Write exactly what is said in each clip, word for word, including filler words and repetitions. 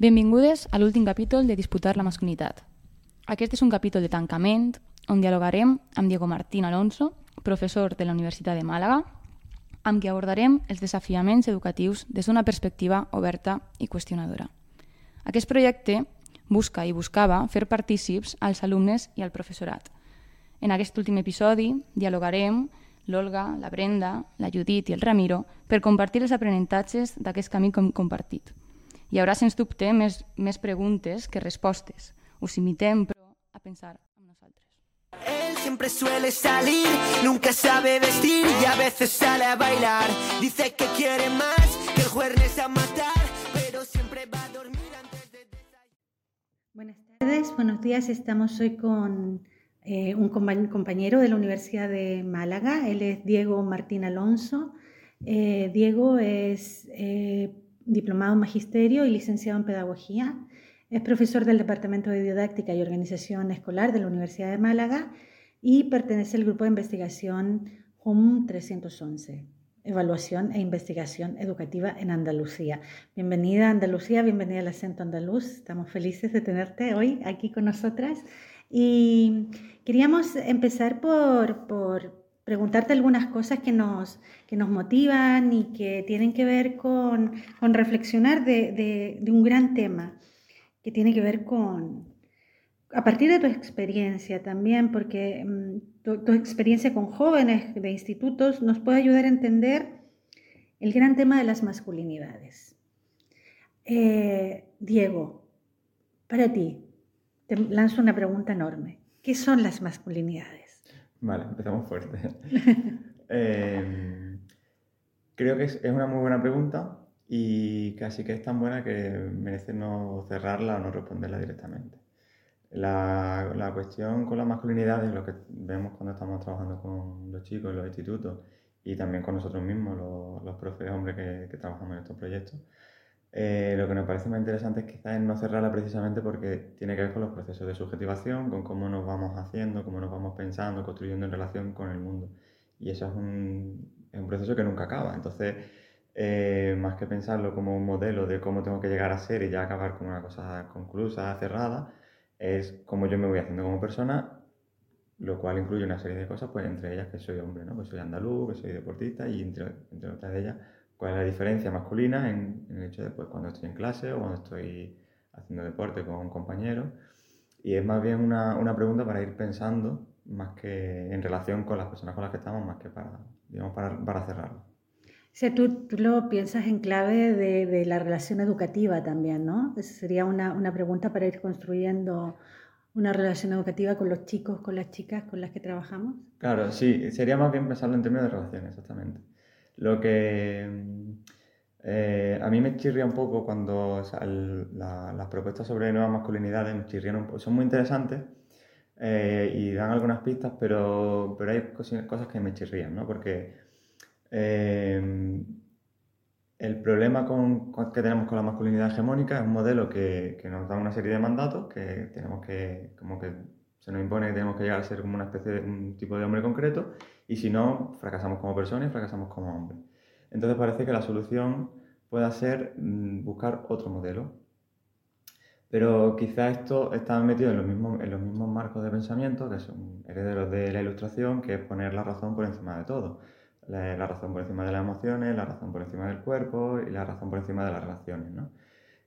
Benvingudes a l'últim capítol de Disputar la masculinitat. Aquest és un capítol de tancament on dialogarem amb Diego Martín Alonso, professor de la Universitat de Màlaga, amb qui abordarem els desafiaments educatius des d'una perspectiva oberta i qüestionadora. Aquest projecte busca i buscava fer partícips als alumnes i al professorat. En aquest últim episodi dialogarem l'Olga, la Brenda, la Judit i el Ramiro per compartir els aprenentatges d'aquest camí com compartit. Hi haurà, sens dubte, més, més preguntes que respostes. Us invitem, però, a pensar amb nosaltres. Él siempre suele salir, nunca sabe vestir y a veces sale a bailar. Dice que quiere más, que el jueves a matar, pero siempre va a dormir antes de desayunar. Buenas tardes, buenos días. Estamos hoy con eh, un compañero de la Universidad de Málaga. Él es Diego Martín Alonso. Eh, Diego es eh, diplomado en Magisterio y licenciado en Pedagogía. Es profesor del Departamento de Didáctica y Organización Escolar de la Universidad de Málaga y pertenece al grupo de investigación J U M trescientos once, Evaluación e Investigación Educativa en Andalucía. Bienvenida a Andalucía, bienvenida al acento andaluz. Estamos felices de tenerte hoy aquí con nosotras. Y queríamos empezar por, por preguntarte algunas cosas que nos, que nos motivan y que tienen que ver con, con reflexionar de, de, de un gran tema que tiene que ver con, a partir de tu experiencia también, porque um, tu, tu experiencia con jóvenes de institutos nos puede ayudar a entender el gran tema de las masculinidades. Eh, Diego, para ti, te lanzo una pregunta enorme. ¿Qué son las masculinidades? Vale, empezamos fuerte. eh, creo que es, es una muy buena pregunta. Y casi que es tan buena que merece no cerrarla o no responderla directamente. La, la cuestión con la masculinidad es lo que vemos cuando estamos trabajando con los chicos en los institutos y también con nosotros mismos, los, los profes hombres que, que trabajamos en estos proyectos. Eh, lo que nos parece más interesante es quizás no cerrarla precisamente porque tiene que ver con los procesos de subjetivación, con cómo nos vamos haciendo, cómo nos vamos pensando, construyendo en relación con el mundo. Y eso es un, es un proceso que nunca acaba. Entonces, Eh, más que pensarlo como un modelo de cómo tengo que llegar a ser y ya acabar como una cosa conclusa, cerrada, es cómo yo me voy haciendo como persona, lo cual incluye una serie de cosas, pues entre ellas que soy hombre, ¿no? Pues soy andaluz, que soy deportista y entre, entre otras de ellas, cuál es la diferencia masculina en, en el hecho de pues, cuando estoy en clase o cuando estoy haciendo deporte con un compañero. Y es más bien una, una pregunta para ir pensando, más que en relación con las personas con las que estamos, más que para, digamos, para, para cerrarlo. O sea, tú, tú lo piensas en clave de, de la relación educativa también, ¿no? Esa sería una, una pregunta para ir construyendo una relación educativa con los chicos, con las chicas con las que trabajamos. Claro, sí, sería más bien pensarlo en términos de relaciones, exactamente. Lo que eh, a mí me chirría un poco cuando o sea, el, la, las propuestas sobre nuevas masculinidades me chirrían un poco, son muy interesantes eh, y dan algunas pistas, pero, pero hay cosas, cosas que me chirrían, ¿no? Porque Eh, el problema con, con, que tenemos con la masculinidad hegemónica es un modelo que, que nos da una serie de mandatos que tenemos que, como que se nos impone que tenemos que llegar a ser como una especie de un tipo de hombre concreto y si no, fracasamos como personas y fracasamos como hombres. Entonces parece que la solución pueda ser mmm, buscar otro modelo. Pero quizá esto está metido en los mismos, en los mismos marcos de pensamiento que son herederos de la Ilustración, que es poner la razón por encima de todo. La, la razón por encima de las emociones, la razón por encima del cuerpo y la razón por encima de las relaciones, ¿no?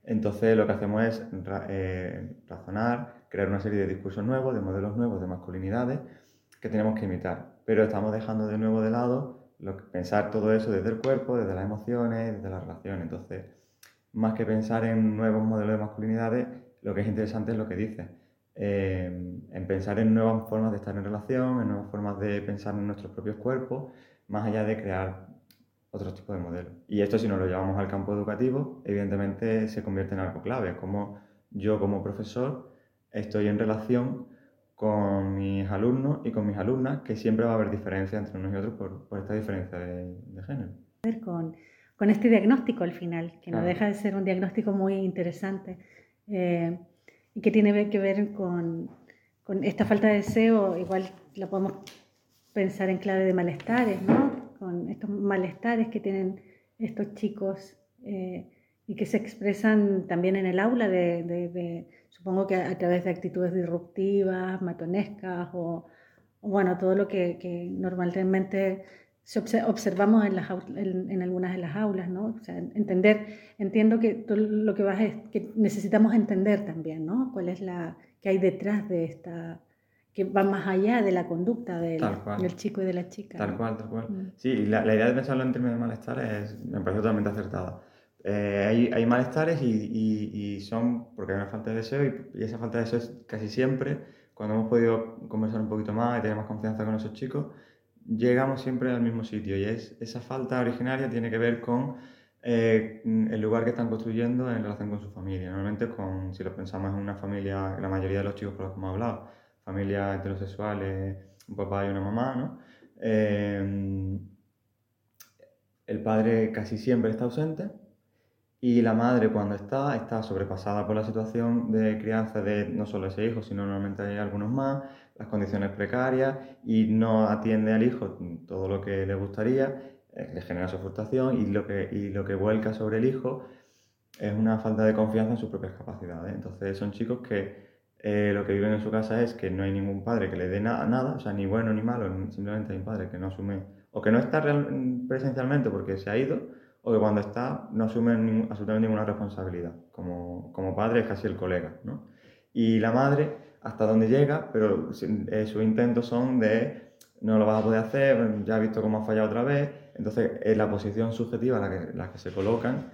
Entonces lo que hacemos es ra, eh, razonar, crear una serie de discursos nuevos, de modelos nuevos de masculinidades que tenemos que imitar. Pero estamos dejando de nuevo de lado lo que, pensar todo eso desde el cuerpo, desde las emociones, desde las relaciones. Entonces, más que pensar en nuevos modelos de masculinidades, lo que es interesante es lo que dice. Eh, en pensar en nuevas formas de estar en relación, en nuevas formas de pensar en nuestros propios cuerpos, más allá de crear otro tipo de modelos. Y esto, si nos lo llevamos al campo educativo, evidentemente se convierte en algo clave. Es como yo, como profesor, estoy en relación con mis alumnos y con mis alumnas, que siempre va a haber diferencia entre unos y otros por, por esta diferencia de, de género. Con, con este diagnóstico al final, que claro. No deja de ser un diagnóstico muy interesante eh, y que tiene que ver con, con esta falta de deseo, igual la podemos pensar en clave de malestares, ¿no? Con estos malestares que tienen estos chicos eh, y que se expresan también en el aula, de, de, de, supongo que a, a través de actitudes disruptivas, matonescas o, o bueno, todo lo que, que normalmente se obse- observamos en, las, aul- en, en algunas de las aulas, ¿no? O sea, entender, entiendo que todo lo que vas es que necesitamos entender también, ¿no? Cuál es la que hay detrás de esta, que va más allá de la conducta del, Tal cual. del chico y de la chica, Tal ¿no? cual, tal cual. Mm. Sí, y la, la idea de pensarlo en términos de malestar es, me parece totalmente acertada. Eh, hay, hay malestares y, y- y son porque hay una falta de deseo y, y esa falta de deseo es casi siempre, cuando hemos podido conversar un poquito más y tener más confianza con esos chicos, llegamos siempre al mismo sitio y es, esa falta originaria tiene que ver con eh, el lugar que están construyendo en relación con su familia. Normalmente, con, si lo pensamos en una familia, la mayoría de los chicos con los que hemos hablado, familias heterosexuales, un papá y una mamá, ¿no? Eh, el padre casi siempre está ausente y la madre, cuando está, está sobrepasada por la situación de crianza de no solo ese hijo, sino normalmente hay algunos más, las condiciones precarias, y no atiende al hijo todo lo que le gustaría, eh, le genera su frustración, y lo que, y lo que vuelca sobre el hijo es una falta de confianza en sus propias capacidades. Entonces son chicos que eh, lo que viven en su casa es que no hay ningún padre que le dé na- nada, o sea, ni bueno ni malo, simplemente hay un padre que no asume, o que no está real, presencialmente porque se ha ido, o que cuando está no asume ningún, absolutamente ninguna responsabilidad. Como, como padre es casi el colega, ¿no? Y la madre, hasta donde llega, pero eh, sus intentos son de no lo vas a poder hacer, ya has visto cómo has fallado otra vez. Entonces, en la posición subjetiva en la que, la que se colocan,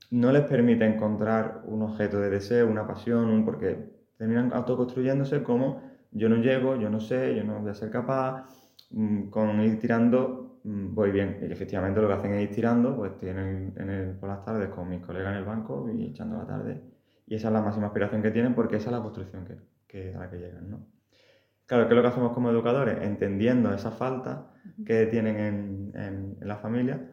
no les permite encontrar un objeto de deseo, una pasión, un, porque terminan autoconstruyéndose como yo no llego, yo no sé, yo no voy a ser capaz, mmm, con ir tirando mmm, voy bien. Y efectivamente lo que hacen es ir tirando, pues estoy en el, en el, por las tardes con mis colegas en el banco y echando la tarde. Y esa es la máxima aspiración que tienen porque esa es la construcción que, que, a la que llegan, ¿no? Claro, ¿qué es lo que hacemos como educadores? Entendiendo esa falta que tienen en, en, en la familia,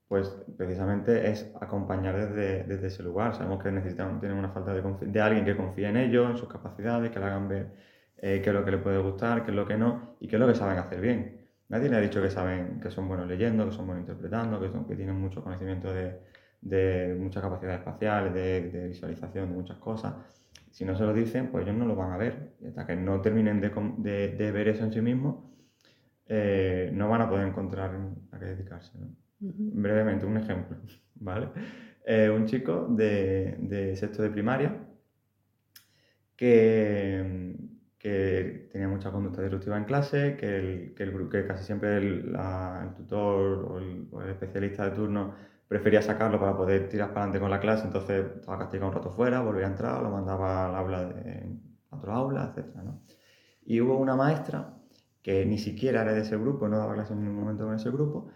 pues precisamente es acompañar desde, desde ese lugar. Sabemos que necesitan, tienen una falta de, de alguien que confíe en ellos, en sus capacidades, que le hagan ver eh, qué es lo que les puede gustar, qué es lo que no, y qué es lo que saben hacer bien. Nadie le ha dicho que saben, que son buenos leyendo, que son buenos interpretando, que, son, que tienen mucho conocimiento de, de muchas capacidades espaciales, de, de visualización, de muchas cosas. Si no se lo dicen, pues ellos no lo van a ver. Y hasta que no terminen de, de, de ver eso en sí mismos, eh, no van a poder encontrar a qué dedicarse, ¿no? Uh-huh. Brevemente, un ejemplo, ¿vale? Eh, un chico de, de sexto de primaria que, que tenía mucha conducta disruptiva en clase, que, el, que, el, que casi siempre el, la, el tutor o el, o el especialista de turno prefería sacarlo para poder tirar para adelante con la clase, entonces estaba castigado un rato fuera, volvía a entrar, lo mandaba al aula de, a otro aula, etcétera, ¿no? Y hubo una maestra que ni siquiera era de ese grupo, no daba clase en ningún momento con ese grupo,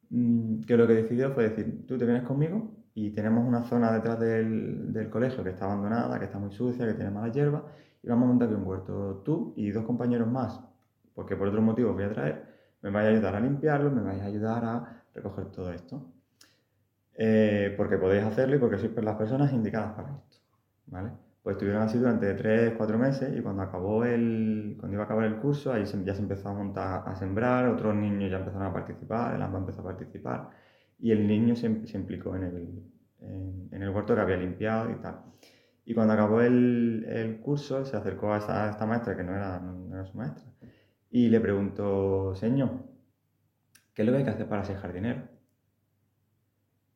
que lo que decidió fue decir, tú te vienes conmigo y tenemos una zona detrás del, del colegio que está abandonada, que está muy sucia, que tiene mala hierba, y vamos a montar aquí un huerto. Tú y dos compañeros más, porque por otros motivos voy a traer, me vais a ayudar a limpiarlo, me vais a ayudar a recoger todo esto. Eh, porque podéis hacerlo y porque sois las personas indicadas para esto, ¿vale? Pues estuvieron así durante tres, cuatro meses y cuando acabó el, cuando iba a acabar el curso, ahí se, ya se empezó a montar, a sembrar, otros niños ya empezaron a participar, el A M P A empezó a participar y el niño se, se implicó en el, en, en el huerto que había limpiado y tal. Y cuando acabó el, el curso, se acercó a, esa, a esta maestra, que no era, no era su maestra, y le preguntó, señor, ¿qué es lo que hay que hacer para ser jardinero?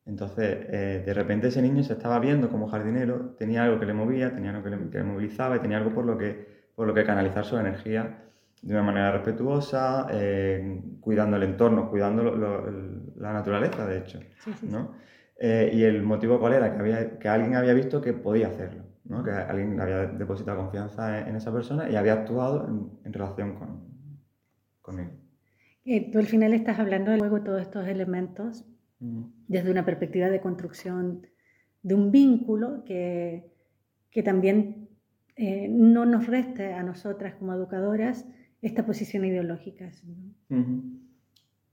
Entonces, eh, de repente ese niño se estaba viendo como jardinero, tenía algo que le movía, tenía algo que le, que le movilizaba y tenía algo por lo, que, por lo que canalizar su energía de una manera respetuosa, eh, cuidando el entorno, cuidando lo, lo, la naturaleza, de hecho, sí, sí, ¿no? Sí. Eh, y el motivo cuál era, que, había, que alguien había visto que podía hacerlo, ¿no? Que alguien había depositado confianza en, en esa persona y había actuado en, en relación con, con él. Eh, tú al final estás hablando de luego todos estos elementos desde una perspectiva de construcción de un vínculo que, que también eh, no nos reste a nosotras como educadoras esta posición ideológica, ¿no? Uh-huh.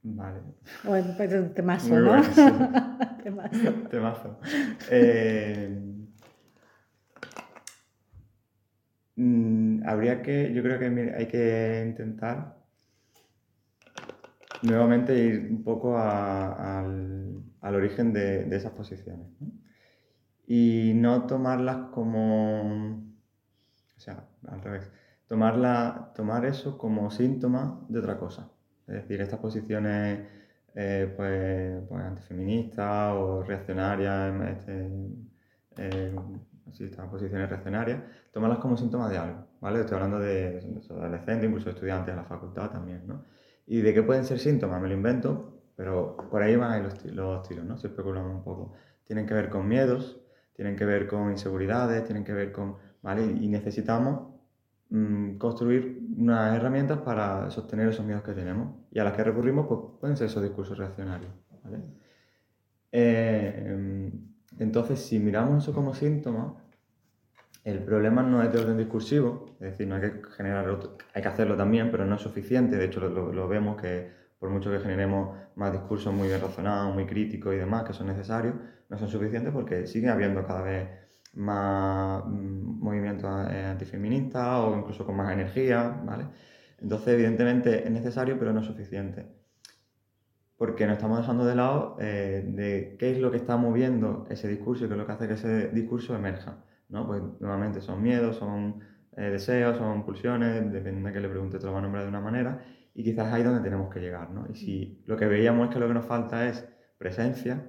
Vale. Bueno, pues es un temazo, muy ¿no? Bueno, sí. temazo. temazo. Eh, mm, habría que, yo creo que hay que intentar nuevamente ir un poco a, al, al origen de, de esas posiciones, ¿no? y no tomarlas como, o sea, al revés, tomarla, tomar eso como síntoma de otra cosa. Es decir, estas posiciones eh, pues, pues antifeministas o reaccionarias, este, eh, sí, estas posiciones reaccionarias, tomarlas como síntomas de algo, ¿vale? Estoy hablando de, de adolescentes, incluso de estudiantes de la facultad también, ¿no? ¿Y de qué pueden ser síntomas? Me lo invento, pero por ahí van los, los tiros, ¿no? Si especulamos un poco. Tienen que ver con miedos, tienen que ver con inseguridades, tienen que ver con, ¿vale? Y necesitamos mmm, construir unas herramientas para sostener esos miedos que tenemos. Y a las que recurrimos, pues pueden ser esos discursos reaccionarios, ¿vale? Eh, entonces, si miramos eso como síntoma, el problema no es de orden discursivo, es decir, no hay que generar otro, hay que hacerlo también, pero no es suficiente. De hecho, lo, lo vemos que por mucho que generemos más discursos muy bien razonados, muy críticos y demás, que son necesarios, no son suficientes porque sigue habiendo cada vez más mmm, movimientos antifeministas o incluso con más energía, ¿vale? Entonces, evidentemente es necesario, pero no es suficiente. Porque nos estamos dejando de lado eh, de qué es lo que está moviendo ese discurso y qué es lo que hace que ese discurso emerja, ¿no? Pues nuevamente son miedos, son eh, deseos, son pulsiones, depende de que le pregunte, te lo va a nombrar de una manera, y quizás ahí es donde tenemos que llegar, ¿no? Y si lo que veíamos es que lo que nos falta es presencia,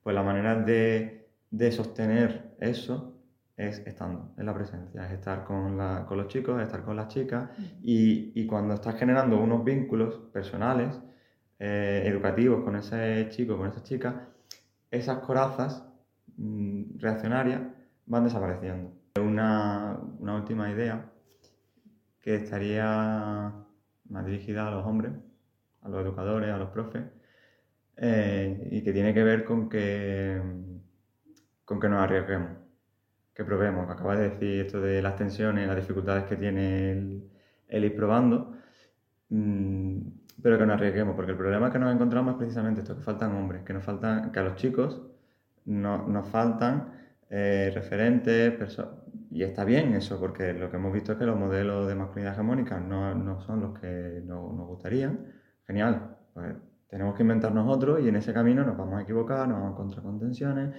pues la manera de, de sostener eso es estando, es la presencia, es estar con, la, con los chicos, es estar con las chicas, y, y cuando estás generando unos vínculos personales, eh, educativos con ese chico, con esa chica, esas corazas mmm, reaccionarias van desapareciendo. Una, una última idea que estaría más dirigida a los hombres, a los educadores, a los profes, eh, y que tiene que ver con que, con que nos arriesguemos, que probemos. Acabas de decir esto de las tensiones, las dificultades que tiene el, el ir probando, mmm, pero que nos arriesguemos, porque el problema que nos encontramos es precisamente esto, que faltan hombres, que nos faltan, que a los chicos no, nos faltan eh, referentes, y está bien eso, porque lo que hemos visto es que los modelos de masculinidad hegemónica no, no son los que no, nos gustarían. Genial, pues tenemos que inventarnos otros y en ese camino nos vamos a equivocar, nos vamos a encontrar con tensiones,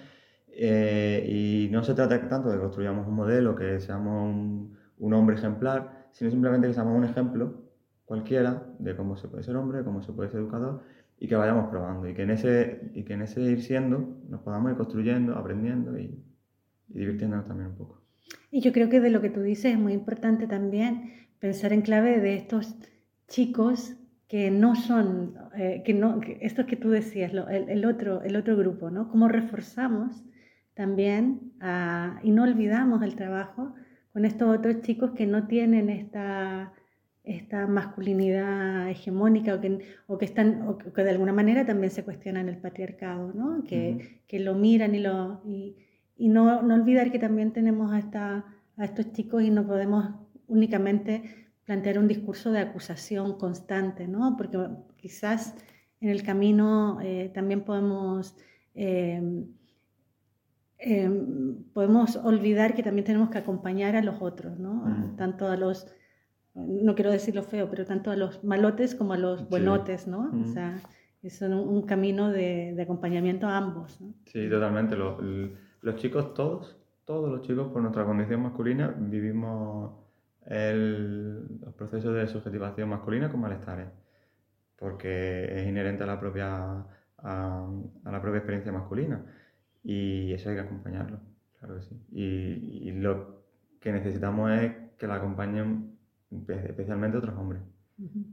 eh, y no se trata tanto de que construyamos un modelo, que seamos un, un hombre ejemplar, sino simplemente que seamos un ejemplo cualquiera de cómo se puede ser hombre, cómo se puede ser educador, y que vayamos probando, y que en ese, y que en ese ir siendo nos podamos ir construyendo, aprendiendo y, y divirtiéndonos también un poco. Y yo creo que de lo que tú dices es muy importante también pensar en clave de estos chicos que no son, eh, que no, que estos que tú decías, lo, el, el, otro, el otro grupo, ¿no? Cómo reforzamos también a, y no olvidamos el trabajo con estos otros chicos que no tienen esta, esta masculinidad hegemónica o que, o que, están, o que de alguna manera también se cuestionan el patriarcado, ¿no? Que, uh-huh. que lo miran y lo... Y, Y no, no olvidar que también tenemos a, esta, a estos chicos y no podemos únicamente plantear un discurso de acusación constante, ¿no? Porque quizás en el camino eh, también podemos, eh, eh, podemos olvidar que también tenemos que acompañar a los otros, ¿no? Mm. Tanto a los, no quiero decirlo feo, pero tanto a los malotes como a los buenotes, ¿no? Mm. O sea, es un, un camino de, de acompañamiento a ambos, ¿no? Sí, totalmente. Lo, el... Los chicos, todos, todos los chicos, por nuestra condición masculina, vivimos el, los procesos de subjetivación masculina con malestares, porque es inherente a la propia, a, a la propia experiencia masculina, y eso hay que acompañarlo, claro que sí. Y, y lo que necesitamos es que la acompañen especialmente otros hombres, uh-huh.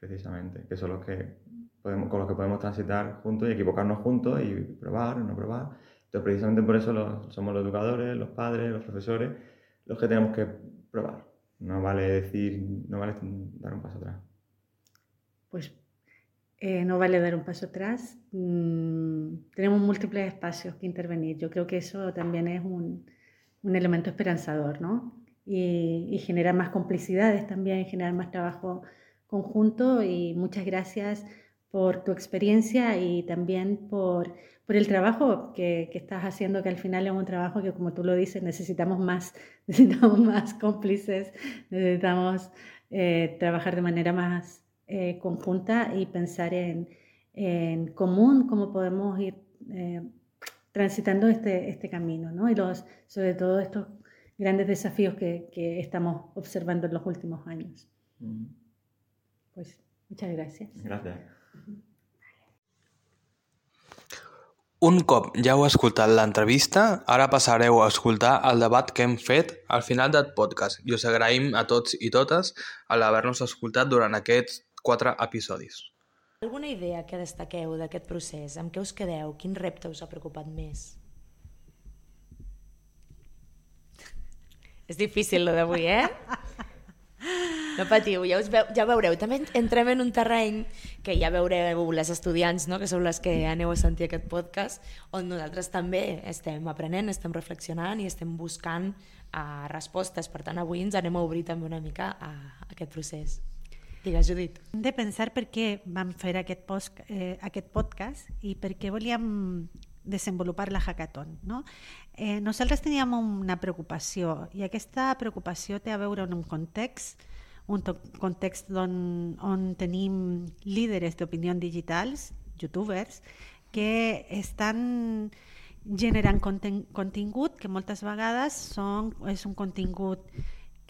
precisamente, que son los que podemos, con los que podemos transitar juntos y equivocarnos juntos y probar o no probar. Entonces, precisamente por eso los, somos los educadores, los padres, los profesores, los que tenemos que probar. No vale decir, no vale dar un paso atrás. Pues eh, no vale dar un paso atrás. Mm, tenemos múltiples espacios que intervenir. Yo creo que eso también es un, un elemento esperanzador, ¿no? Y, y generar más complicidades también, generar más trabajo conjunto. Y muchas gracias por tu experiencia y también por, por el trabajo que, que estás haciendo, que al final es un trabajo que, como tú lo dices, necesitamos más, necesitamos más cómplices, necesitamos eh, trabajar de manera más eh, conjunta y pensar en, en común cómo podemos ir eh, transitando este, este camino, ¿no? Y los, sobre todo estos grandes desafíos que, que estamos observando en los últimos años. Mm. Pues muchas gracias. Gracias. Un cop ja heu escoltat l'entrevista, ara passareu a escoltar el debat que hem fet al final del podcast i us agraïm a tots i totes l'haver-nos escoltat durant aquests quatre episodis. Alguna idea que destaqueu d'aquest procés? Amb què us quedeu? Quin repte us ha preocupat més? És difícil, lo d'avui, eh? No patiu, ja, us veu, ja veureu. També entrem en un terreny que ja veureu les estudiants, no? Que sou les que aneu a sentir aquest podcast, on nosaltres també estem aprenent, estem reflexionant i estem buscant uh, respostes. Per tant, avui ens anem a obrir també una mica a, a aquest procés. Digues, Judit. Hem de pensar per què vam fer aquest, post, eh, aquest podcast i per què volíem desenvolupar la hackathon, no? Eh, nosaltres teníem una preocupació i aquesta preocupació té a veure amb un context, un context on, on tenim líderes d'opinió digitals, youtubers, que estan generant contingut que moltes vegades són, és un contingut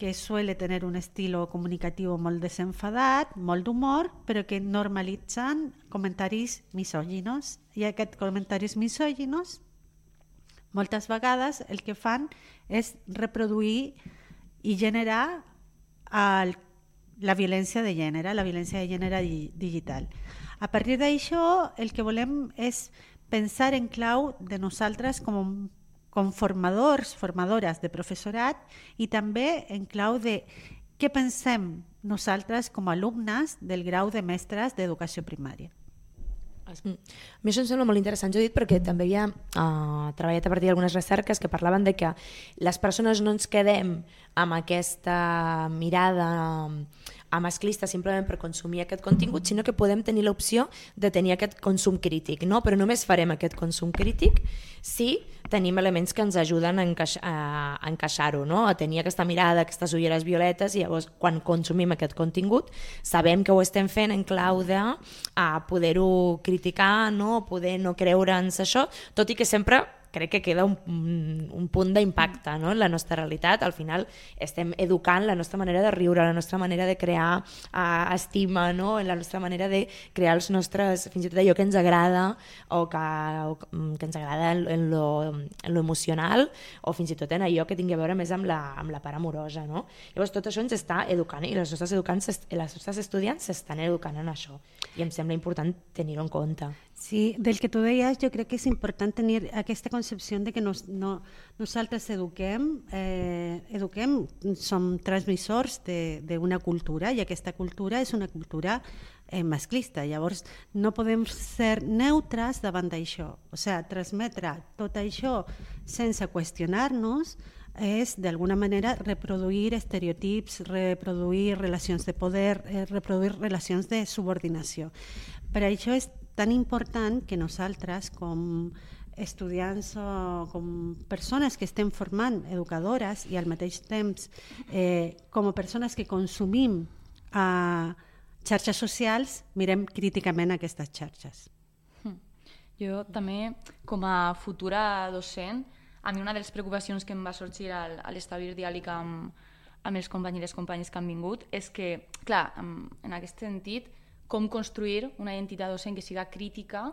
que suele tener un estilo comunicativo molt desenfadat, molt d'humor, però que normalitzen comentaris misòginos. I aquests comentaris misòginos, moltes vegades el que fan és reproduir i generar el, la violència de gènere, la violència de gènere digital. A partir d'això, el que volem és pensar en clau de nosaltres com un com formadors, formadores de professorat i també en clau de què pensem nosaltres com a alumnes del grau de mestres d'educació primària. A mi això em sembla molt interessant, Judit, perquè també havia uh, treballat a partir d'algunes recerques que parlaven de que les persones no ens quedem amb aquesta mirada a masclista simplement per consumir aquest contingut, sinó que podem tenir l'opció de tenir aquest consum crític, no? Però només farem aquest consum crític si tenim elements que ens ajuden a, encaix a encaixar-ho, no? A tenir aquesta mirada, aquestes ulleres violetes, i llavors quan consumim aquest contingut sabem que ho estem fent en clau de poder-ho criticar, no? Poder no creure'ns això, tot i que sempre crec que queda un, un punt d'impacte, no? En la nostra realitat. Al final estem educant la nostra manera de riure, la nostra manera de crear uh, estima, no? La nostra manera de crear els nostres, fins i tot allò que ens agrada o que, o que ens agrada en, en, lo, en lo emocional, o fins i tot en allò que tingui a veure més amb la, amb la part amorosa, no? Llavors tot això ens està educant i les nostres, educants, les nostres estudiants s'estan educant en això i em sembla important tenir-ho en compte. Sí, del que tu deies, jo crec que és important tenir aquesta concepció de que nos, no, nosaltres eduquem, eh, eduquem, som transmissors d'una cultura i aquesta cultura és una cultura eh, masclista. Llavors, no podem ser neutres davant d'això. O sigui, transmetre tot això sense qüestionar-nos és, d'alguna manera, reproduir estereotips, reproduir relacions de poder, eh, reproduir relacions de subordinació. Per això és tan important que nosaltres, com estudiants o com persones que estem formant educadores i al mateix temps eh, com a persones que consumim a xarxes socials, mirem críticament aquestes xarxes. Jo també, com a futura docent, a mi una de les preocupacions que em va sorgir al, a l'establir diàleg amb, amb els companys i les companyes que han vingut és que, clar, en aquest sentit, com construir una identitat docent que siga crítica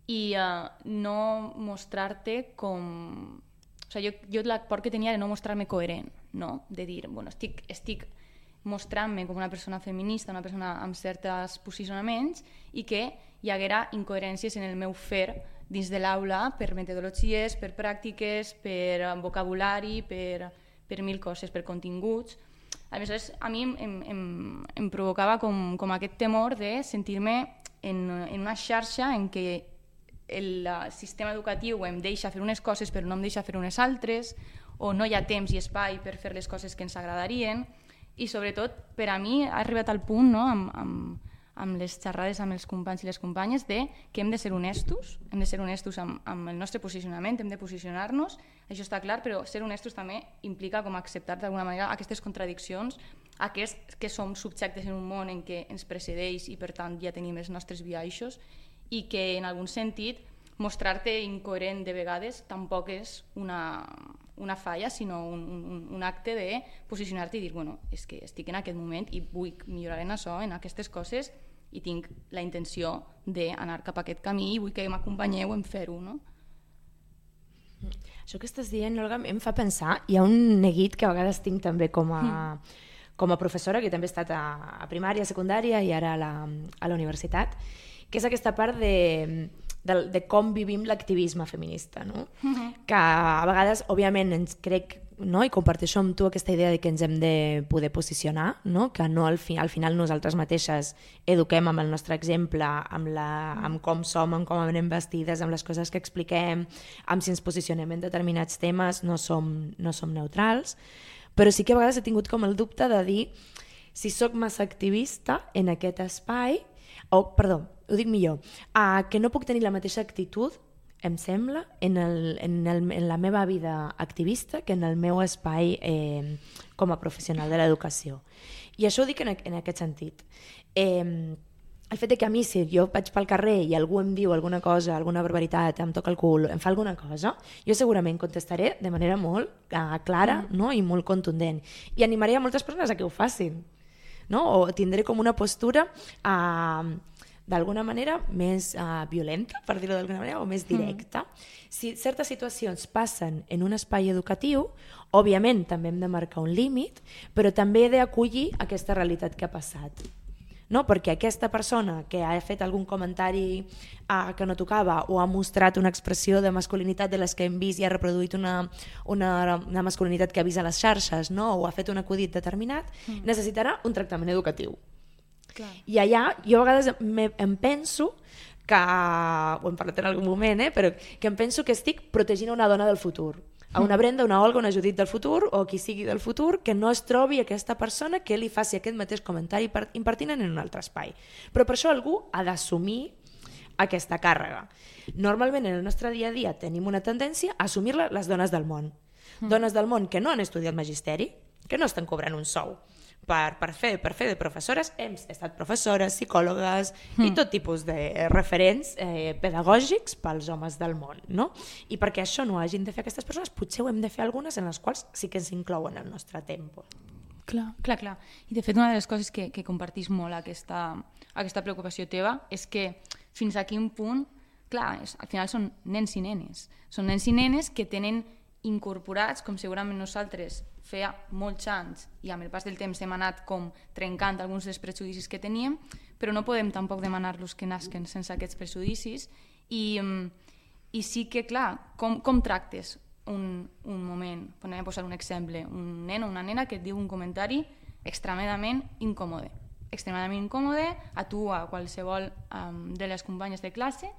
i uh, no mostrar-te com... O sigui, jo, jo la por que tenia era no mostrar-me coherent, no? De dir, bueno, estic, estic mostrant-me com una persona feminista, una persona amb certs posicionaments i que hi haguera incoherències en el meu fer dins de l'aula per metodologies, per pràctiques, per vocabulari, per, per mil coses, per continguts. Aleshores, a mi em, em, em provocava com, com aquest temor de sentir-me en, en una xarxa en què el sistema educatiu em deixa fer unes coses però no em deixa fer unes altres, o no hi ha temps i espai per fer les coses que ens agradarien, i sobretot per a mi ha arribat al punt, no, amb, amb, amb les xerrades amb els companys i les companyes, de que hem de ser honestos, hem de ser honestos amb, amb el nostre posicionament, hem de posicionar-nos, això està clar, però ser honestos també implica com acceptar d'alguna manera aquestes contradiccions, aquests que som subjectes en un món en què ens precedeix i per tant ja tenim els nostres biaixos i que en algun sentit mostrar-te incoherent de vegades tampoc és una, una falla, sinó un, un, un acte de posicionar-te i dir, bueno, és que estic en aquest moment i vull millorar en això, en aquestes coses, i tinc la intenció d'anar cap a aquest camí i vull que m'acompanyeu en fer-ho, no? Això que estàs dient, Olga, em fa pensar, hi ha un neguit que a vegades tinc també com a, com a professora, que també he estat a, a primària, a secundària i ara a la, a la universitat, que és aquesta part de, de, de com vivim l'activisme feminista, no? Uh-huh. Que a vegades, òbviament, ens crec, no? I comparteixo amb tu aquesta idea de que ens hem de poder posicionar, no? Que no al, fi, al final nosaltres mateixes eduquem amb el nostre exemple, amb, la, amb com som, amb com anem vestides, amb les coses que expliquem, amb si ens posicionem en determinats temes, no som, no som neutrals, però sí que a vegades he tingut com el dubte de dir si sóc massa activista en aquest espai, o, perdó, ho dic millor, uh, que no puc tenir la mateixa actitud, em sembla, en, el, en, el, en la meva vida activista que en el meu espai eh, com a professional de l'educació. I això ho dic en, en aquest sentit. Eh, el fet de que a mi, si jo vaig pel carrer i algú em diu alguna cosa, alguna barbaritat, em toca el cul, em fa alguna cosa, jo segurament contestaré de manera molt uh, clara, mm. no? I molt contundent. I animaré a moltes persones a que ho facin. No? O tindré com una postura uh, d'alguna manera més uh, violenta, per dir-ho d'alguna manera, o més directa. Mm. Si certes situacions passen en un espai educatiu, òbviament també hem de marcar un límit, però també he d'acollir aquesta realitat que ha passat. No? Perquè aquesta persona que ha fet algun comentari uh, que no tocava o ha mostrat una expressió de masculinitat de les que hem vist i ha reproduït una, una, una masculinitat que ha vist a les xarxes, no? O ha fet un acudit determinat, mm. necessitarà un tractament educatiu. Clar. I allà jo a vegades me, em penso que, ho hem parlat en algun moment, eh, però que em penso que estic protegint una dona del futur, a una Brenda, una Olga, una Judit del futur o qui sigui del futur, que no es trobi aquesta persona que li faci aquest mateix comentari impertinent en un altre espai. Però per això algú ha d'assumir aquesta càrrega. Normalment en el nostre dia a dia tenim una tendència a assumir-la les dones del món. Mm. Dones del món que no han estudiat magisteri, que no estan cobrant un sou per, per, fer, per fer de professores, hem estat professores, psicòlogues mm. i tot tipus de referents eh, pedagògics pels homes del món, no? I perquè això no hagin de fer aquestes persones, potser ho hem de fer algunes en les quals sí que ens inclouen el nostre tempo. Clar, clar, clar. I de fet una de les coses que, que compartís molt aquesta, aquesta preocupació teva és que fins a quin punt, clar, és, al final són nens i nenes. Són nens i nenes que tenen incorporats, com segurament nosaltres feia molts anys i amb el pas del temps hem anat com trencant alguns dels prejudicis que teníem, però no podem tampoc demanar-los que nasquen sense aquests prejudicis i, i sí que, clar, com, com tractes un, un moment, podem posar un exemple, un nen o una nena que et diu un comentari extremadament incòmode, extremadament incòmode a tu o a qualsevol um, de les companyes de classe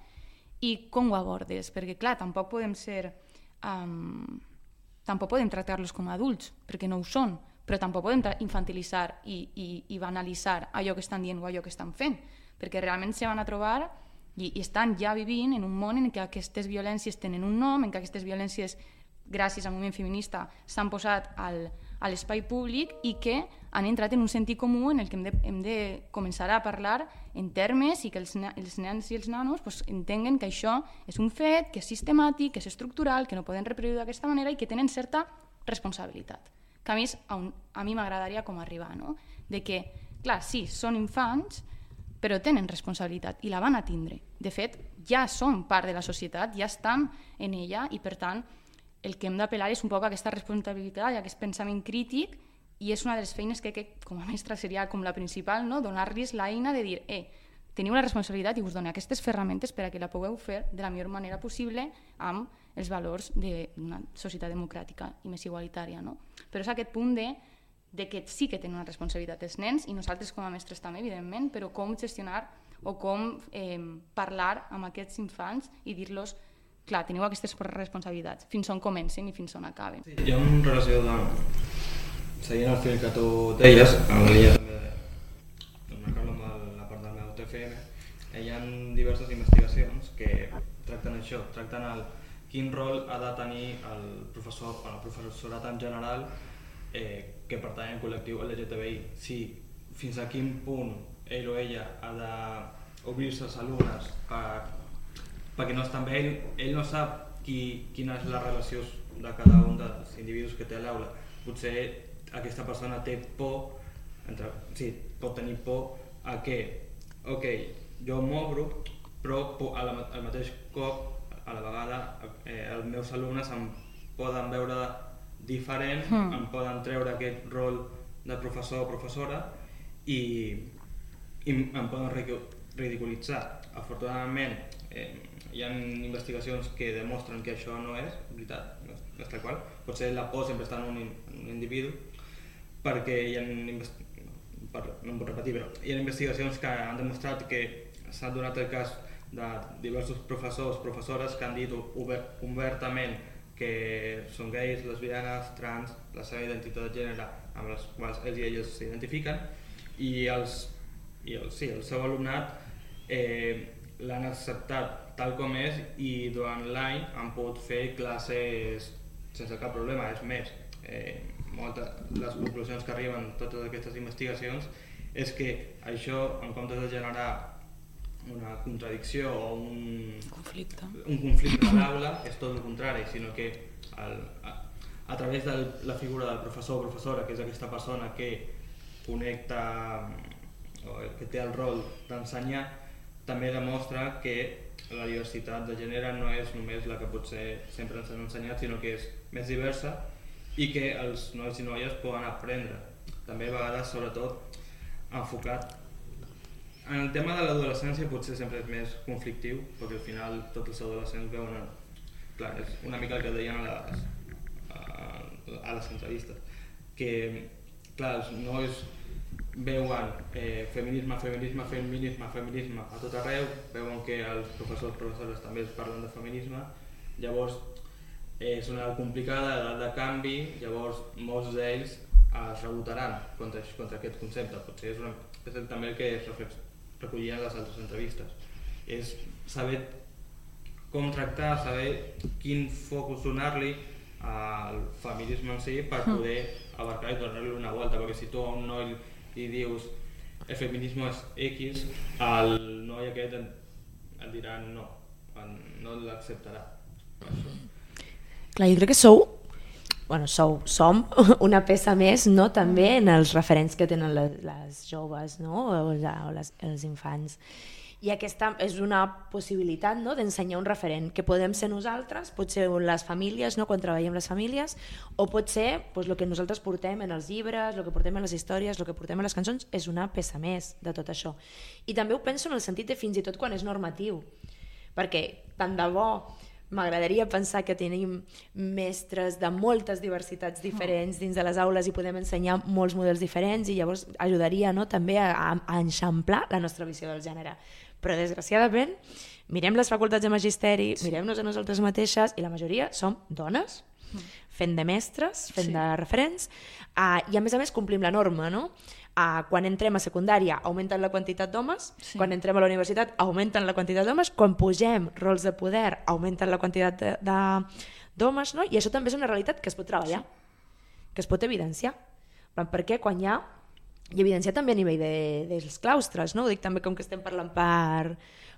i com ho abordes, perquè clar, tampoc podem ser... Um, tampoc podem tractar-los com a adults, perquè no ho són, però tampoc podem infantilitzar i, i, i banalitzar allò que estan dient o allò que estan fent, perquè realment se van a trobar i, i estan ja vivint en un món en què aquestes violències tenen un nom, en què aquestes violències, gràcies al moviment feminista, s'han posat al, a l'espai públic i que han entrat en un sentit comú en el que hem de, hem de començar a parlar en termes i que els, els nens i els nanos pues, entenguen que això és un fet, que és sistemàtic, que és estructural, que no poden reproduir d'aquesta manera i que tenen certa responsabilitat. Que a més, a, un, a mi m'agradaria com arribar, no? De que, clar, sí, són infants, però tenen responsabilitat i la van a tindre. De fet, ja són part de la societat, ja estan en ella i, per tant, el que hem d'apel·lar és un poc aquesta responsabilitat i aquest pensament crític i és una de les feines que, que com a mestra seria com la principal, no? Donar-los l'eina de dir eh, teniu la responsabilitat i us dono aquestes ferramentes per a que la pugueu fer de la millor manera possible amb els valors d'una societat democràtica i més igualitària. No? Però és aquest punt de, de que sí que tenen una responsabilitat els nens i nosaltres com a mestres també, evidentment, però com gestionar o com eh, parlar amb aquests infants i dir-los clar, teniu aquestes responsabilitats, fins on comencen i fins on acaben. Sí, hi ha una relació de... Seguint el fil que tu deies, en la línia també d'emmarcar-lo amb la part del meu T F M, hi ha diverses investigacions que tracten això, tracten el quin rol ha de tenir el professor, el professorat en general eh, que pertany al col·lectiu L G T B I, si fins a quin punt ell o ella ha d'obrir-se als alumnes per perquè no està amb ell, ell no sap qui, quina és la relació de cada un dels individus que té a l'aula. Potser aquesta persona té por, entre, sí, pot tenir por a que, ok, jo m'obro, però a la, al mateix cop, a la vegada, eh, els meus alumnes em poden veure diferent, mm. em poden treure aquest rol de professor o professora i, i em poden ridiculitzar. Afortunadament, eh, hi ha investigacions que demostren que això no és veritat, no és tal qual. Potser la por sempre està en un, en un individu, perquè hi ha, per, no em puc repetir, però hi ha investigacions que han demostrat que s'ha donat el cas de diversos professors, professores que han dit obert, obertament que són gais, lesbianes, trans, la seva identitat de gènere amb les quals ells i elles s'identifiquen, i, els, i el, sí, el seu alumnat eh, l'han acceptat tal com és i durant l'any han pogut fer classes sense cap problema. És més, eh, moltes, les conclusions que arriben totes aquestes investigacions és que això, en comptes de generar una contradicció o un conflicte, un conflicte a l'aula, és tot el contrari, sinó que el, a, a través de la figura del professor o professora, que és aquesta persona que connecta o que té el rol d'ensenyar, també demostra que la diversitat de gènere no és només la que potser sempre ens han ensenyat, sinó que és més diversa i que els nois i noies poden aprendre. També a vegades, sobretot, enfocat en el tema de l'adolescència, potser sempre és més conflictiu, perquè al final tots els adolescents veuen, clar, és una mica el que deien a les, a les entrevistes, que clar, els nois veuen eh, feminisme, feminisme, feminisme, feminisme a tot arreu, veuen que els professors i professores també es parlen de feminisme, llavors eh, és una edat complicada, edat de canvi, llavors molts d'ells es rebotaran contra, contra aquest concepte. Potser és, una, és també el que es recollia en les altres entrevistes, és saber com tractar, saber quin focus donar-li al feminisme en si per poder abarcar i donar-li una volta, perquè si tu a un noi i dius el feminisme és X, el noi aquest et dirà no, no l'acceptarà. Clar, jo crec que sou, bueno, sou, som una peça més, no?, també en els referents que tenen les, les joves, no?, o, o les, els infants. I aquesta és una possibilitat, no?, d'ensenyar un referent, que podem ser nosaltres, pot ser les famílies, no?, quan treballem les famílies, o pot ser pues, el que nosaltres portem en els llibres, el que portem en les històries, el que portem en les cançons, és una peça més de tot això. I també ho penso en el sentit de fins i tot quan és normatiu, perquè tant de bo m'agradaria pensar que tenim mestres de moltes diversitats diferents dins de les aules i podem ensenyar molts models diferents i llavors ajudaria, no?, també a, a enxamplar la nostra visió del gènere. Però desgraciadament mirem les facultats de magisteri, sí. mirem-nos a nosaltres mateixes i la majoria som dones, fent de mestres, fent sí. de referents, uh, i a més a més complim la norma, no? Uh, quan entrem a secundària augmenten la quantitat d'homes, sí. quan entrem a la universitat augmenten la quantitat d'homes, quan pugem rols de poder augmenten la quantitat de, de, d'homes, no? I això també és una realitat que es pot treballar, sí. que es pot evidenciar, perquè quan hi ha i evidenciar també a nivell de, dels claustres, no? Ho dic també com que estem parlant per,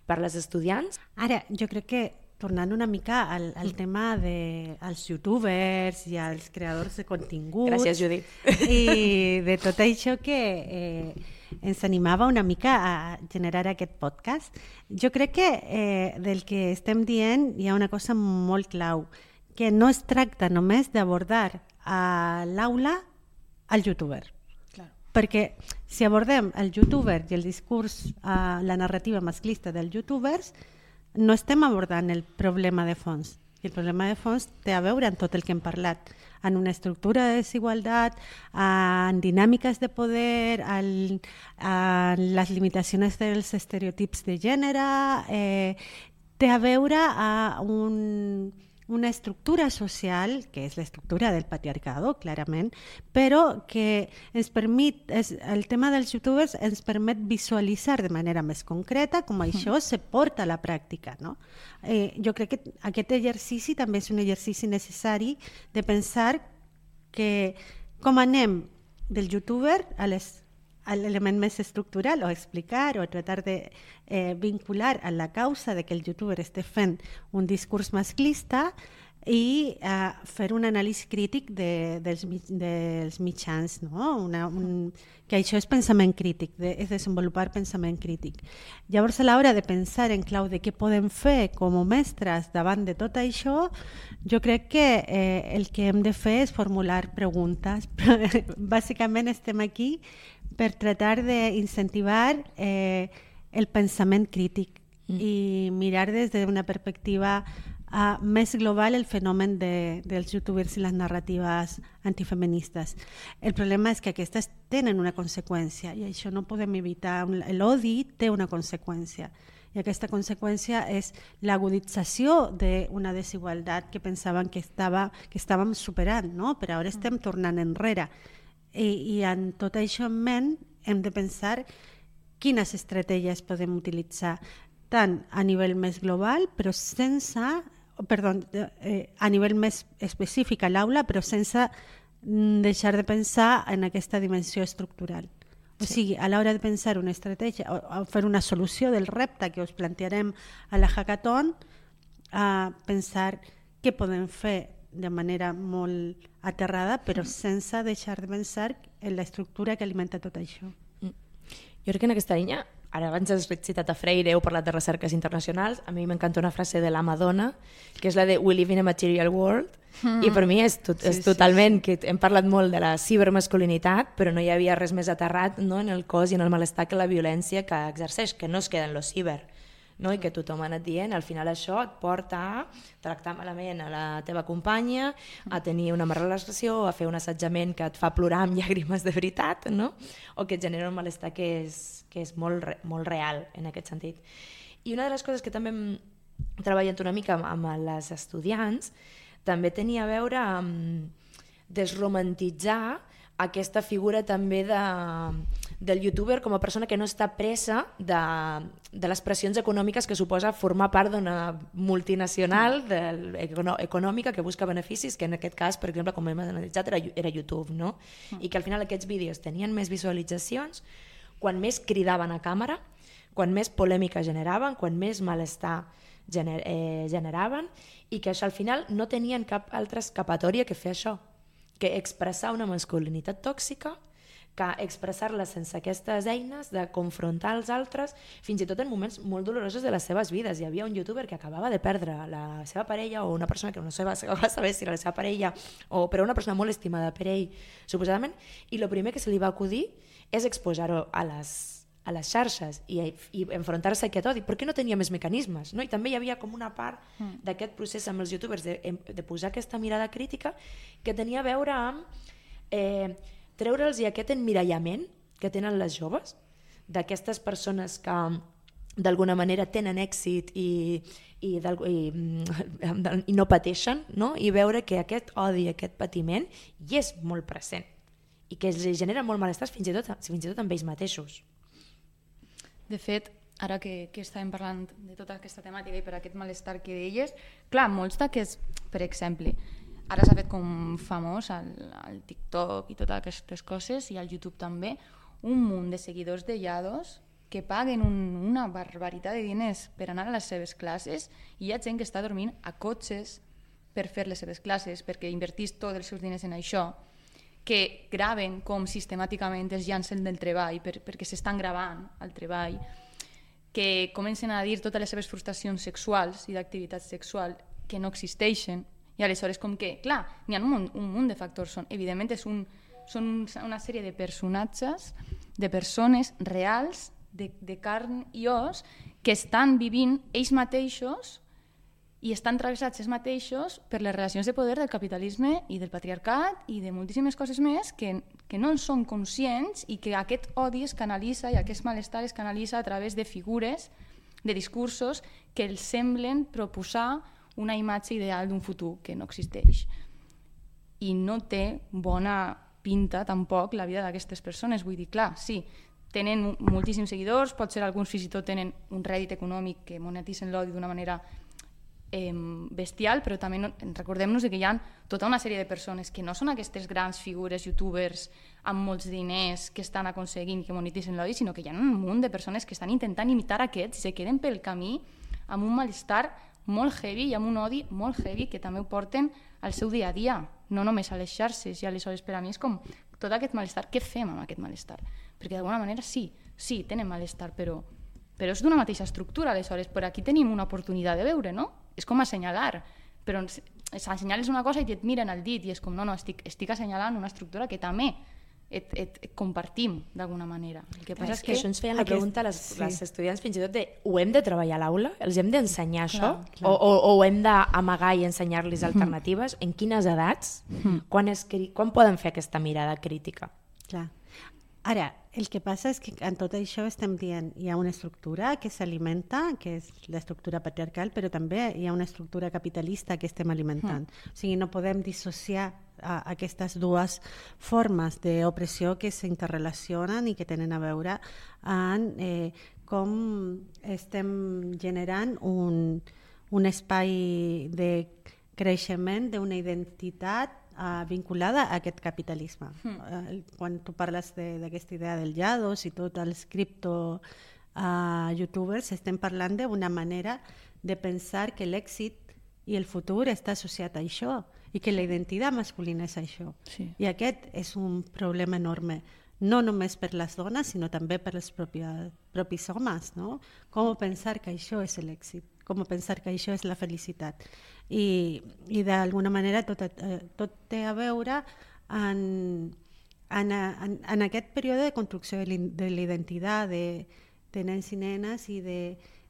per les estudiants. Ara, jo crec que tornant una mica al, al tema dels youtubers i als creadors de continguts. Gràcies, Judit. I de tot això que eh, ens animava una mica a generar aquest podcast. Jo crec que eh, del que estem dient hi ha una cosa molt clau, que no es tracta només d'abordar a l'aula al youtuber. Perquè si abordem el youtuber i el discurs, uh, la narrativa masclista dels youtubers, no estem abordant el problema de fons. I el problema de fons té a veure amb tot el que hem parlat, en una estructura de desigualtat, en dinàmiques de poder, en, en les limitacions dels estereotips de gènere, eh, té a veure amb un... una estructura social, que és l'estructura del patriarcado, clarament, però que ens permet, és, el tema dels youtubers ens permet visualitzar de manera més concreta com això se porta a la pràctica. No? Eh, jo crec que aquest exercici també és un exercici necessari de pensar que com anem del youtuber a les al element més estructural o explicar o tratar de eh, vincular a la causa de que el youtuber esté fent un discurs masclista i eh, fer un anàlisi crític de, dels, dels mitjans, no? Una, un, que això és pensament crític, de, és desenvolupar pensament crític. Llavors, a l'hora de pensar en clau de què podem fer com a mestres davant de tot això, jo crec que eh, el que hem de fer és formular preguntes. Bàsicament estem aquí per tratar d'incentivar eh, el pensament crític mm. i mirar des d'una perspectiva Uh, més global el fenomen de, dels youtubers i les narratives antifeministes. El problema és que aquestes tenen una conseqüència i això no podem evitar. L'odi té una conseqüència i aquesta conseqüència és l'agudització d'una desigualtat que pensaven que, estava, que estàvem superant, no? Però ara estem tornant enrere. I, i en tot això en ment hem de pensar quines estratègies podem utilitzar tant a nivell més global però sense Perdó, eh, a nivell més específic a l'aula, però sense deixar de pensar en aquesta dimensió estructural. O sí. sigui, a l'hora de pensar una estratègia o, o fer una solució del repte que us plantearem a la hackathon, a pensar què podem fer de manera molt aterrada, però sense deixar de pensar en l'estructura que alimenta tot això. Mm. Jo crec que en aquesta línia, ara abans has citat a Freire, heu parlat de recerques internacionals, a mi m'encanta una frase de la Madonna, que és la de "We live in a material world", mm. i per mi és, tot, és sí, totalment, sí. que hem parlat molt de la cibermasculinitat, però no hi havia res més aterrat, no, en el cos i en el malestar que la violència que exerceix, que no es queda en lo ciber, no? I que tothom ha anat dient, al final això et porta a tractar malament a la teva companya, a tenir una mala relació, a fer un assetjament que et fa plorar amb llàgrimes de veritat, no? O que et genera un malestar que és, que és molt, molt real en aquest sentit. I una de les coses que també hem treballat una mica amb, amb les estudiants també tenia a veure amb desromantitzar aquesta figura també de, del youtuber com a persona que no està presa de, de les pressions econòmiques que suposa formar part d'una multinacional de, econòmica que busca beneficis, que en aquest cas, per exemple, com hem analitzat, era, era YouTube, no? I que al final aquests vídeos tenien més visualitzacions quan més cridaven a càmera, quan més polèmica generaven, quan més malestar gener, eh, generaven, i que això al final no tenien cap altra escapatòria que fer això, que expressar una masculinitat tòxica, que expressar-la sense aquestes eines de confrontar els altres, fins i tot en moments molt dolorosos de les seves vides. Hi havia un youtuber que acabava de perdre la seva parella, o una persona que no va saber si era la seva parella, o, però una persona molt estimada per ell, suposadament, i el primer que se li va acudir és exposar-ho a les a les xarxes i, i enfrontar-se a aquest odi, perquè no tenia més mecanismes, no? I també hi havia com una part mm. d'aquest procés amb els youtubers de, de posar aquesta mirada crítica que tenia a veure amb eh, treure'ls aquest emmirallament que tenen les joves, d'aquestes persones que d'alguna manera tenen èxit i, i, i, i no pateixen, no? I veure que aquest odi, aquest patiment hi és molt present i que els genera molt malestar fins i tot, fins i tot amb ells mateixos. De fet, ara que, que estàvem parlant de tota aquesta temàtica i per aquest malestar que deies, clar, molts d'aquests, per exemple, ara s'ha fet com famós al, al TikTok i totes aquestes coses, i al YouTube també, un munt de seguidors de Yados que paguen un, una barbaritat de diners per anar a les seves classes, i hi ha gent que està dormint a cotxes per fer les seves classes, perquè invertís tots els seus diners en això, que graven com sistemàticament es llancen del treball per, perquè s'estan gravant al treball, que comencen a dir totes les seves frustracions sexuals i d'activitat sexual que no existeixen, i aleshores com que, clar, n'hi ha un munt, un munt de factors, són, evidentment és un, són una sèrie de personatges, de persones reals, de, de carn i os, que estan vivint ells mateixos i estan travessats ells mateixos per les relacions de poder del capitalisme i del patriarcat i de moltíssimes coses més que, que no en són conscients, i que aquest odi es canalitza i aquest malestar es canalitza a través de figures, de discursos que els semblen proposar una imatge ideal d'un futur que no existeix. I no té bona pinta tampoc la vida d'aquestes persones. Vull dir, clar, sí, tenen moltíssims seguidors, potser alguns fins i tot tenen un rèdit econòmic que monetitzen l'odi d'una manera eh, bestial, però també no, recordem-nos que hi ha tota una sèrie de persones que no són aquestes grans figures youtubers amb molts diners que estan aconseguint que monetitzen l'odi, sinó que hi ha un munt de persones que estan intentant imitar aquests i se queden pel camí amb un malestar molt heavy i amb un odi molt heavy que també ho porten al seu dia a dia, no només a les xarxes. I aleshores per a mi és com tot aquest malestar, què fem amb aquest malestar? Perquè d'alguna manera sí, sí, tenen malestar, però, però és d'una mateixa estructura, aleshores per aquí tenim una oportunitat de veure, no? És com assenyalar, però assenyales una cosa i et miren el dit i és com, no, no, estic, estic assenyalant una estructura que també et, et, et compartim d'alguna manera. El que passa és és que, que això ens feien la aquest... pregunta les, sí. les estudiants fins i tot de ho hem de treballar a l'aula? Els hem d'ensenyar això? Clar, clar. O, o, o ho hem d'amagar i ensenyar-los alternatives? Mm. En quines edats? Mm. Quan, es, quan poden fer aquesta mirada crítica? Clar. Ara, el que passa és que en tot això estem dient hi ha una estructura que s'alimenta, que és l'estructura patriarcal, però també hi ha una estructura capitalista que estem alimentant. Mm. O sigui, no podem dissociar a aquestes dues formes d'opressió que s'interrelacionen i que tenen a veure en eh, com estem generant un, un espai de creixement d'una identitat Uh, vinculada a aquest capitalisme. Mm. Uh, quan tu parles d'aquesta idea del Yados i tots els cripto uh, youtubers, estem parlant d'una manera de pensar que l'èxit i el futur està associat a això i que la identitat masculina és això. Sí. I aquest és un problema enorme, no només per les dones, sinó també per els propis, propis homes. No? Com pensar que això és l'èxit? Com pensar que això és la felicitat? I, i d'alguna manera tot, tot té a veure en, en, en, en aquest període de construcció de l'identitat de, de nens i nenes i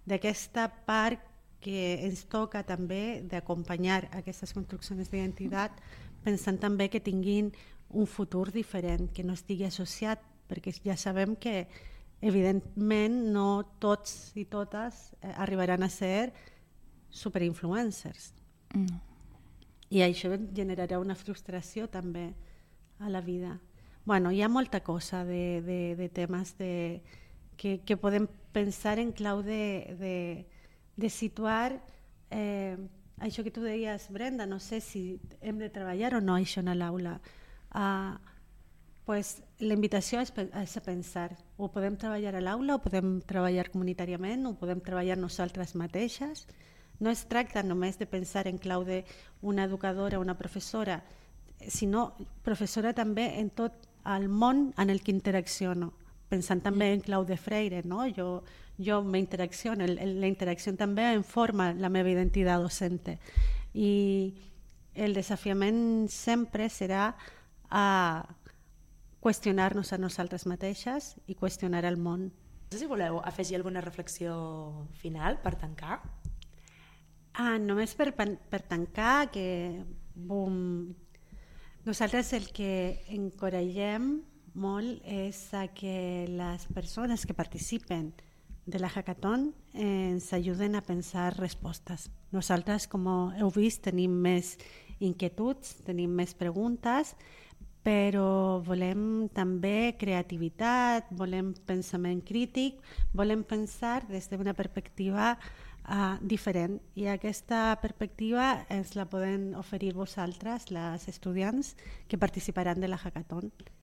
d'aquesta part que ens toca també d'acompanyar aquestes construccions d'identitat pensant també que tinguin un futur diferent, que no estigui associat, perquè ja sabem que evidentment no tots i totes arribaran a ser superinfluencers. Mm. I això generarà una frustració també a la vida. Bueno, hi ha molta cosa de, de, de temes de, que, que podem pensar en clau de, de, de situar eh, això que tu deies, Brenda, no sé si hem de treballar o no això a l'aula. Uh, pues, la invitació és, és a pensar, ho podem treballar a l'aula, ho podem treballar comunitàriament, ho podem treballar nosaltres mateixes. No es tracta només de pensar en clau d'una educadora o una professora, sinó professora també en tot el món en el que interacciono, pensant també en clau de Freire. No? Jo, jo m'interacciono, la interacció també em forma la meva identitat docente. I el desafiament sempre serà a qüestionar-nos a nosaltres mateixes i qüestionar el món. No sé si voleu afegir alguna reflexió final per tancar. Ah, només per, per tancar, que bum, nosaltres el que encoratgem molt és a que les persones que participen de la hackathon ens ajuden a pensar respostes. Nosaltres, com heu vist, tenim més inquietuds, tenim més preguntes, però volem també creativitat, volem pensament crític, volem pensar des d'una perspectiva Uh, diferent, i aquesta perspectiva ens la poden oferir vosaltres, les estudiants que participaran de la hackathon.